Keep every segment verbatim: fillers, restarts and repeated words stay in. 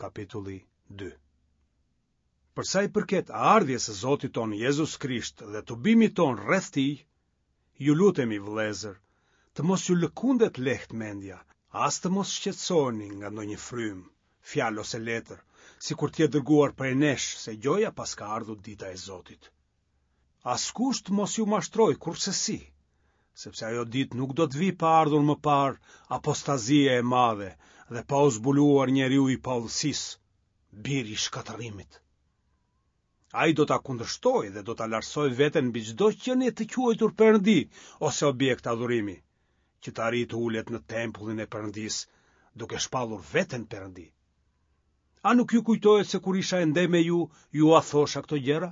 kapitulli dy. Për sa i përket ardhjes së Zotit tonë Jezus Krisht dhe tubimit tonë rreth tij, ju lutemi vëllezër, të mos ju lëkundet lehtë mendja, as të mos shqetësoheni nga ndonjë frymë, fjalë ose letër, sikur të jetë dërguar prej nesh se gjoja paska ardhur dita e Zotit. Askush të mos ju mashtrojë kurrsesi, sepse ajo ditë nuk do të vijë pa ardhur më parë apostazia e madhe dhe pa u zbuluar njeriu i paudhësisë, biri i shkatërrimit. Ai do ta kundërshtojë dhe do ta lartësojë veten mbi çdo qenie të quajtur perëndi ose objekt adhurimi, që të arrijë të ulet në tempullin e Perëndisë, duke shpallur veten perëndi. A nuk ju kujtohet se kur isha ende me ju, jua thosha këto gjëra?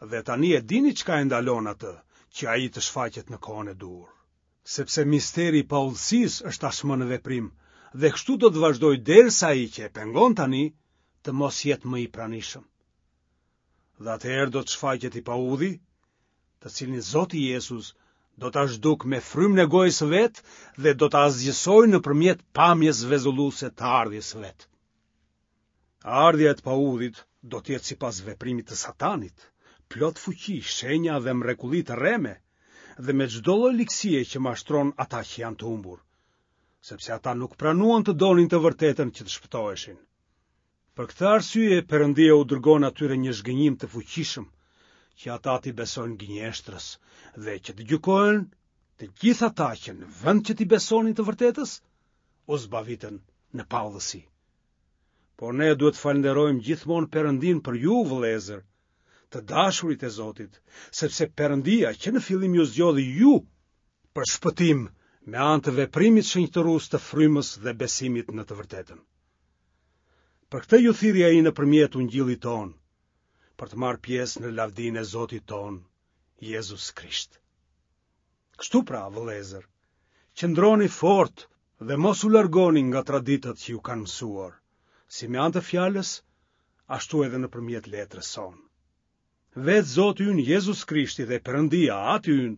Dhe tani e dini çka e ndalon atë, që ai të shfaqet në kohën e duhur. Sepse misteri i paudhësisë është tashmë në veprim, dhe kështu do të vazhdojë derisa ai që e pengon tani të mos jetë më i pranishëm. Dhe atëherë do të shfaqet i paudhi, të cilin Zoti Jezus do ta zhdukë me frymën e gojës së vet dhe do ta asgjësojë nëpërmjet pamjes vezulluese të ardhjes së vet. Ardhja e të paudhit do të jetë sipas veprimit të Satanit, plot fuqi, shenja dhe mrekulli të rreme, dhe me çdo lloj ligësie që mashtron ata që janë të humbur, sepse ata nuk pranuan të donin të vërtetën që të shpëtoheshin. Për këtë arsye Perëndia u dërgon atyre një zhgënjim të fuqishëm, që ata t'i besojnë gënjeshtrës dhe që të gjykohen të gjithë ata që në vend që t'i besonin të vërtetës, u zbavitën në paudhësi. Por ne duhet të falënderojmë gjithmonë Perëndin për ju, vëllezër, të dashurit e Zotit, sepse Perëndia që në fillim ju zgjodhi ju për shpëtim me anë të veprimit shenjtërues të frymës dhe besimit në të vërtetën. Për këtë ju thirri ai nëpërmjet ungjillit tonë, për të marrë pjesë në lavdinë e Zotit tonë, Jezus Krisht. Kështu pra, vëllezër, qëndroni fort dhe mos u largoni nga traditat që ju kanë mësuar, si me anë të fjalës, ashtu edhe nëpërmjet letrës sonë. Vetë Zoti ynë Jezus Krishti dhe Perëndia, Ati ynë,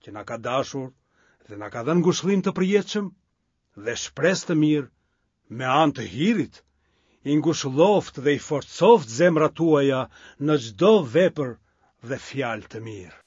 që na ka dashur dhe na ka dhënë ngushëllim të përjetshëm dhe shpresë të mirë me anë të hirit, i ngushëlloftë dhe i forcoftë zemrat tuaja në çdo vepër dhe fjalë të mirë.